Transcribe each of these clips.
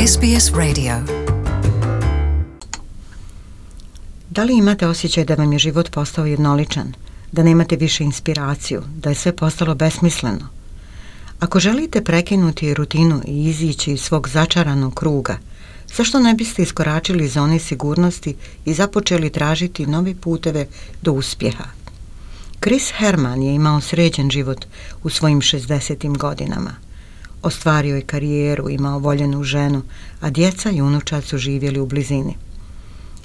SBS Radio. Da li imate osjećaj da vam je život postao jednoličan, da nemate više inspiraciju, da je sve postalo besmisleno? Ako želite prekinuti rutinu i izići iz svog začaranog kruga, zašto ne biste iskoračili iz zone sigurnosti i započeli tražiti nove puteve do uspjeha? Chris Herman je imao sređen život u svojim 60. godinama. Ostvario je karijeru, imao voljenu ženu, a djeca i unučad su živjeli u blizini.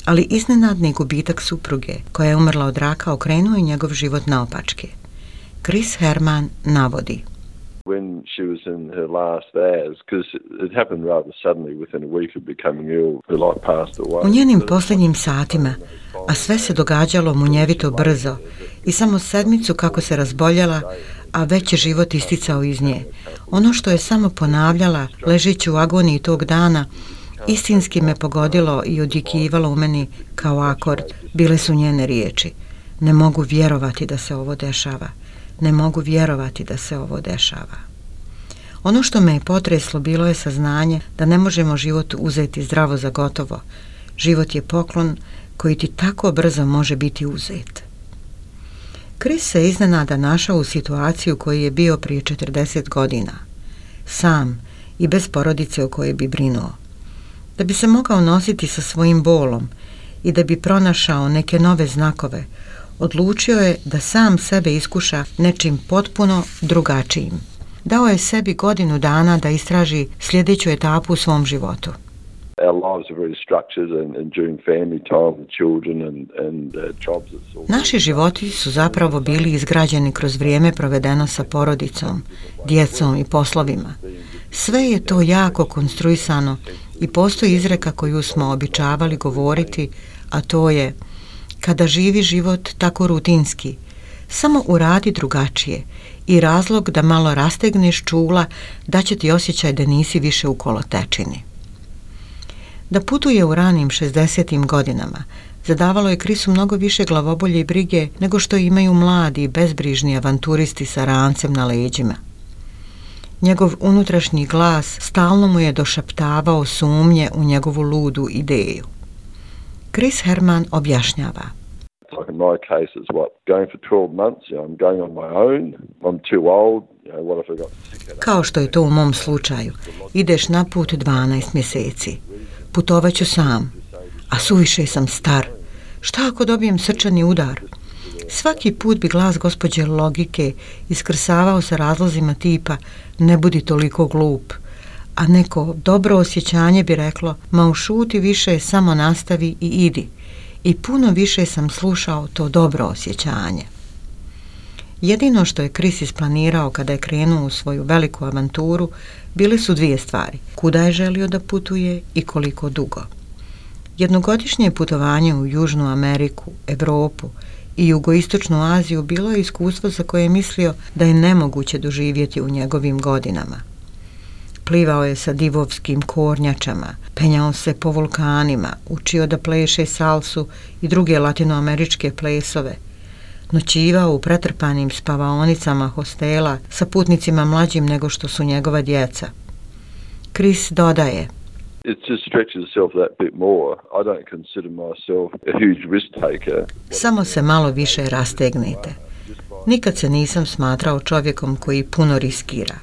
Ali iznenadni gubitak supruge, koja je umrla od raka, okrenuo je njegov život naopačke. Chris Herman navodi: When she was in her last hours, because it happened rather suddenly, within a week of becoming ill, her life passed away. U njenim posljednjim satima, a sve se događalo munjevito brzo, i samo sedmicu kako se razboljela, a već je život isticao iz nje. Ono što je samo ponavljala, ležeći u agoniji tog dana, istinski me pogodilo i odjekivalo u meni kao akord. Bile su njene riječi: ne mogu vjerovati da se ovo dešava. Ne mogu vjerovati da se ovo dešava. Ono što me je potreslo bilo je saznanje da ne možemo život uzeti zdravo za gotovo. Život je poklon koji ti tako brzo može biti uzet. Chris se iznenada našao u situaciju koju je bio prije 40 godina. Sam i bez porodice o kojoj bi brinuo. Da bi se mogao nositi sa svojim bolom i da bi pronašao neke nove znakove, odlučio je da sam sebe iskuša nečim potpuno drugačijim. Dao je sebi godinu dana da istraži sljedeću etapu u svom životu. Our lives are very structured and during family time with children and jobs. Naši životi su zapravo bili izgrađeni kroz vrijeme provedeno sa porodicom, djecom i poslovima. Sve je to jako konstruisano i postoji izreka koju smo običavali govoriti, a to je: kada živi život tako rutinski, samo uradi drugačije, i razlog da malo rastegneš čula da će ti osjećaj da nisi više u kolotečini. Da putuje u ranim 60. godinama zadavalo je Chrisu mnogo više glavobolje i brige nego što imaju mladi, bezbrižni avanturisti sa rancem na leđima. Njegov unutrašnji glas stalno mu je došaptavao sumnje u njegovu ludu ideju. Chris Herman objašnjava: Like in my case, it's going for 12 months, I'm going on my own, I'm too old, what if I got sick? Kao što je to u mom slučaju, ideš na put 12 mjeseci. Putovaću sam, a suviše sam star. Šta ako dobijem srčani udar? Svaki put bi glas gospođe logike iskrsavao sa razlozima tipa: ne budi toliko glup. A neko dobro osjećanje bi reklo: ma ušuti više, samo nastavi i idi. I puno više sam slušao to dobro osjećanje. Jedino što je Chris isplanirao kada je krenuo u svoju veliku avanturu bile su dvije stvari: kuda je želio da putuje i koliko dugo. Jednogodišnje putovanje u Južnu Ameriku, Europu i Jugoistočnu Aziju bilo je iskustvo za koje je mislio da je nemoguće doživjeti u njegovim godinama. Plivao je sa divovskim kornjačama, penjao se po vulkanima, učio da pleše salsu i druge latinoameričke plesove, noćivao u pretrpanim spavaonicama hostela sa putnicima mlađim nego što su njegova djeca. Chris dodaje: It's just stretches itself that bit more. I don't consider myself a huge risk taker. Samo se malo više rastegnite. Nikad se nisam smatrao čovjekom koji puno riskira.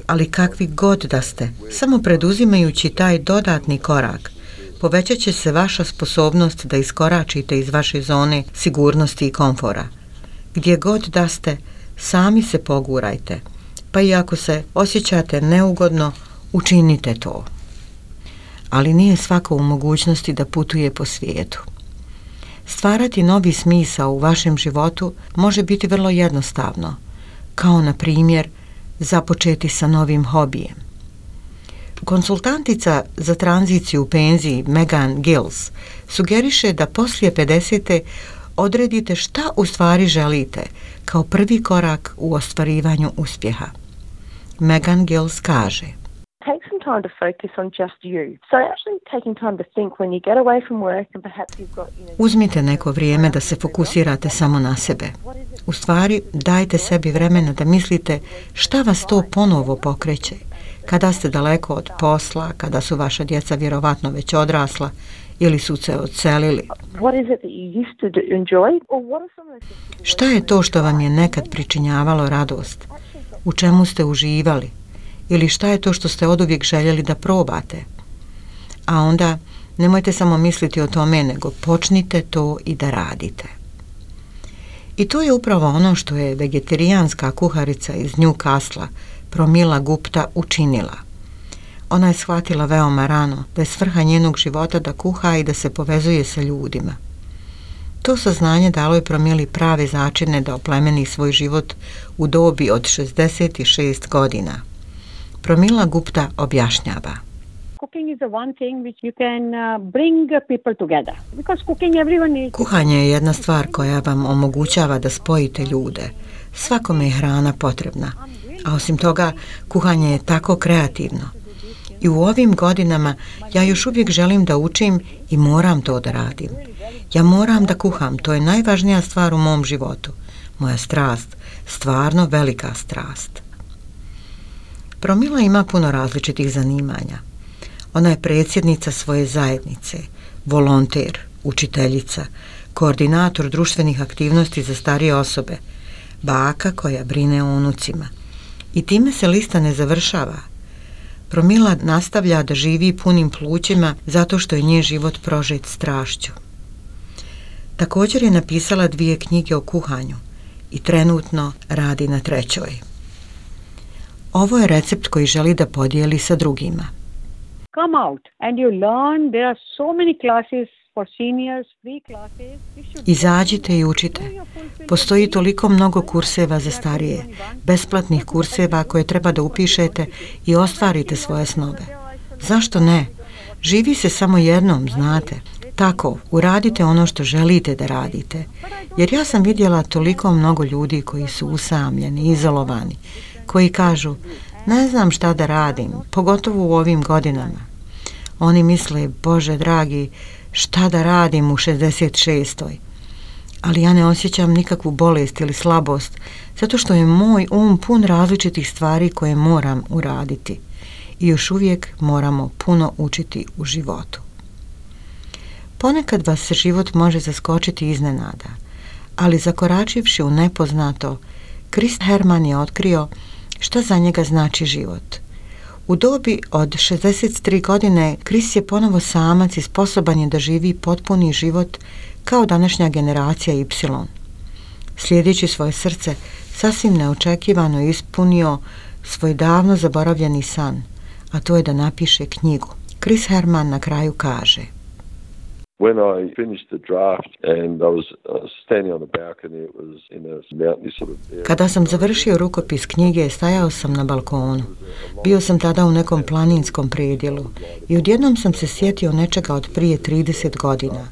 Ali kakvi god da ste, samo preduzimajući taj dodatni korak, povećat će se vaša sposobnost da iskoračite iz vaše zone sigurnosti i komfora. Gdje god da ste, sami se pogurajte, pa i ako se osjećate neugodno, učinite to. Ali nije svako u mogućnosti da putuje po svijetu. Stvarati novi smisao u vašem životu može biti vrlo jednostavno, kao na primjer započeti sa novim hobijem. Konsultantica za tranziciju u penziji Megan Gills sugeriše da poslije 50. odredite šta u stvari želite kao prvi korak u ostvarivanju uspjeha. Megan Gills kaže: Take some time to focus on just you. So actually taking time to think when you get away from work and perhaps you've got, Uzmite neko vrijeme da se fokusirate samo na sebe. U stvari, dajte sebi vremena da mislite šta vas to ponovo pokreće. kada ste daleko od posla, kada su vaša djeca vjerovatno već odrasla ili su se odselili. Šta je to što vam je nekad pričinjavalo radost? U čemu ste uživali? Ili šta je to što ste oduvijek željeli da probate? A onda nemojte samo misliti o tome, nego počnite to i da radite. I to je upravo ono što je vegetarijanska kuharica iz Newcastle, Pramila Gupta, učinila. Ona je shvatila veoma rano da je svrha njenog života da kuha i da se povezuje sa ljudima. To saznanje dalo je Pramili prave začine da oplemeni svoj život u dobi od 66 godina. Pramila Gupta objašnjava. Kuhanje je jedna stvar koja vam omogućava da spojite ljude. Svakome je hrana potrebna, a osim toga kuhanje je tako kreativno. I u ovim godinama ja još uvijek želim da učim i moram to da radim. Ja moram da kuham, to je najvažnija stvar u mom životu. Moja strast, stvarno velika strast. Pramila ima puno različitih zanimanja. Ona je predsjednica svoje zajednice, volonter, učiteljica, koordinator društvenih aktivnosti za starije osobe, baka koja brine o unucima. I time se lista ne završava. Pramila nastavlja da živi punim plućima zato što je njen život prožet strašću. Također je napisala 2 knjige o kuhanju i trenutno radi na 3. Ovo je recept koji želi da podijeli sa drugima. Come out and you learn. There are so many classes for seniors, free classes. Izađite i učite. Postoji toliko mnogo kurseva za starije, besplatnih kurseva koje treba da upišete i ostvarite svoje snove. Zašto ne? Živi se samo jednom, znate. Tako, uradite ono što želite da radite. Jer ja sam vidjela toliko mnogo ljudi koji su usamljeni, izolovani, koji kažu, ne znam šta da radim, pogotovo u ovim godinama. Oni misle, Bože dragi, šta da radim u 66. Ali ja ne osjećam nikakvu bolest ili slabost, zato što je moj pun različitih stvari koje moram uraditi. I još uvijek moramo puno učiti u životu. Ponekad vas se život može zaskočiti iznenada, ali zakoračivši u nepoznato, Chris Herman je otkrio šta za njega znači život. U dobi od 63 godine Chris je ponovo samac i sposoban je da živi potpuni život kao današnja generacija Y. Slijedeći svoje srce, sasvim neočekivano ispunio svoj davno zaboravljeni san, a to je da napiše knjigu. Chris Herman na kraju kaže: When I finished the draft and I was standing on the balcony, it was in a mountainy sort of area. Kada sam završio rukopis knjige, stajao sam na balkonu. Bio sam tada u nekom planinskom predjelu i odjednom sam se sjetio nečega od prije 30 godina.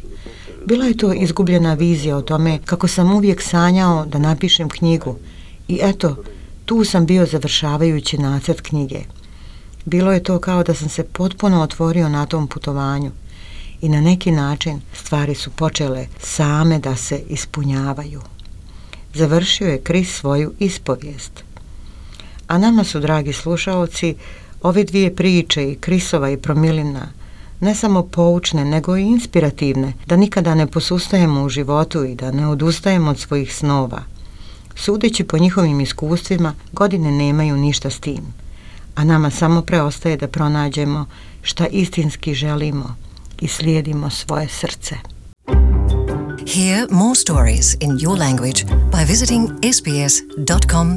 Bila je to izgubljena vizija o tome kako sam uvijek sanjao da napišem knjigu i eto, tu sam bio završavajući nacrt knjige. Bilo je to kao da sam se potpuno otvorio na tom putovanju. I na neki način stvari su počele same da se ispunjavaju. Završio je Chris svoju ispovijest. A nama su, dragi slušaoci, ove 2 priče, i Chrisova i Pramilina, ne samo poučne, nego i inspirativne, da nikada ne posustajemo u životu i da ne odustajemo od svojih snova. Sudeći po njihovim iskustvima, godine nemaju ništa s tim, a nama samo preostaje da pronađemo šta istinski želimo i slijedimo svoje srce. Hear more stories in your language by visiting sbs.com.au.